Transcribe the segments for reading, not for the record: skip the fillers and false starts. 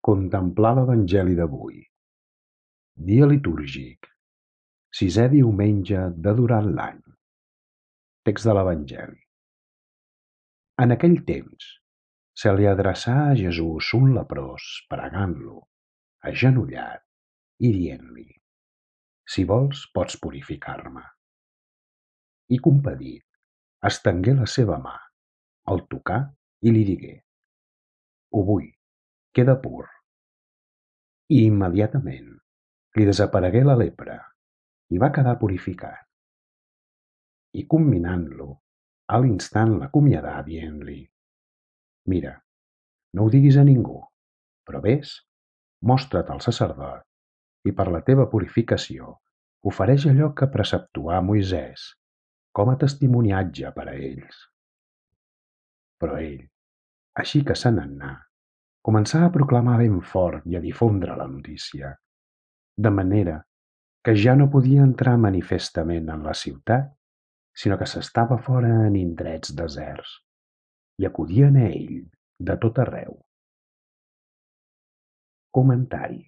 Contemplar l'Evangeli d'avui. Dia litúrgic. Sisè diumenge de durant l'any. Text de l'Evangeli. En aquell temps se li adreçà a Jesús un leprós pregant-lo, agenollat, i dient-li: «Si vols, pots purificar-me». I compadit, estengué la seva mà, el tocà i li digué: «Ho vull, queda pur». I immediatament li desaparegué la lepra i va quedar purificat. I comminant-lo, a l'instant l'acomiadà dient-li: «Mira, no ho diguis a ningú, però vés, mostra't al sacerdot i per la teva purificació ofereix allò que preceptuà Moisès com a testimoniatge per a ells». Però ell, així que se n'anà, començà a proclamar ben fort i a difondre la notícia, de manera que ja no podia entrar manifestament en la ciutat, sinó que s'estava fora en indrets deserts, i acudien a ell de tot arreu. Comentari.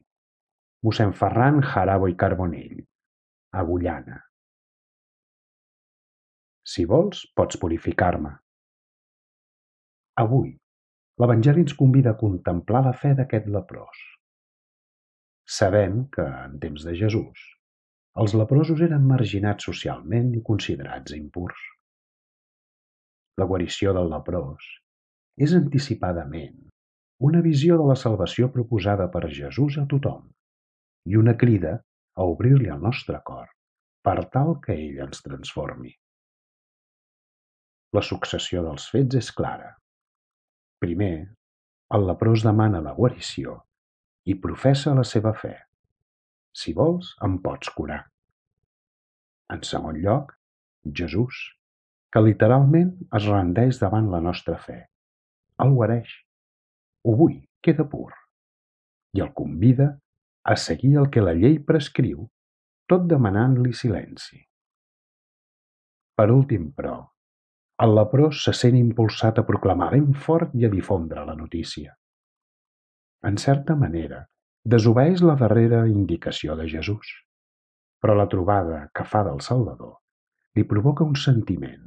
Mossèn Ferran Jarabo i Carbonell, Agullana. Si vols, pots purificar-me. Avui, l'Evangeli ens convida a contemplar la fe d'aquest leprós. Sabem que, en temps de Jesús, els leprosos eren marginats socialment i considerats impurs. La guarició del leprós és anticipadament una visió de la salvació proposada per Jesús a tothom i una crida a obrir-li el nostre cor per tal que ell ens transformi. La successió dels fets és clara. Primer, el leprós demana la guarició i professa la seva fe. Si vols, em pots curar. En segon lloc, Jesús, que literalment es rendeix davant la nostra fe, el guareix. Ho vull, queda pur. I el convida a seguir el que la llei prescriu, tot demanant-li silenci. Per últim, però, el leprós se sent impulsat a proclamar ben fort i a difondre la notícia. En certa manera, desobeeix la darrera indicació de Jesús, però la trobada que fa del Salvador li provoca un sentiment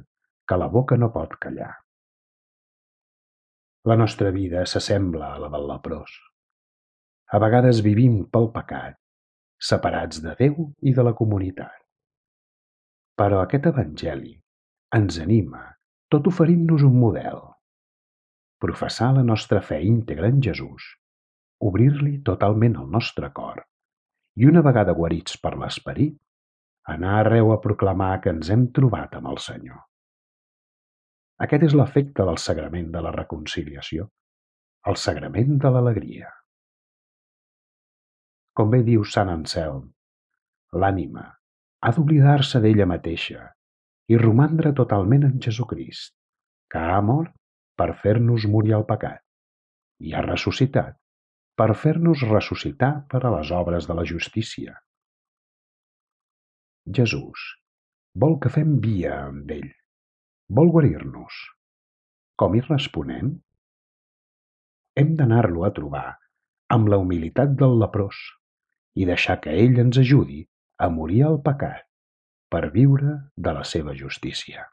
que la boca no pot callar. La nostra vida s'assembla a la del leprós. A vegades vivim pel pecat, separats de Déu i de la comunitat. Però aquest Evangeli ens anima, tot oferint-nos un model. Professar la nostra fe íntegra en Jesús, obrir-li totalment el nostre cor i, una vegada guarits per l'Esperit, anar arreu a proclamar que ens hem trobat amb el Senyor. Aquest és l'efecte del sagrament de la reconciliació, el sagrament de l'alegria. Com bé diu Sant Anselm, l'ànima ha d'oblidar-se d'ella mateixa i romandre totalment en Jesucrist, que ha mort per fer-nos morir al pecat i ha ressuscitat per fer-nos ressuscitar per a les obres de la justícia. Jesús vol que fem via amb ell, vol guarir-nos. Com hi responem? Hem d'anar-lo a trobar amb la humilitat del leprós i deixar que ell ens ajudi a morir al pecat per viure de la seva justícia.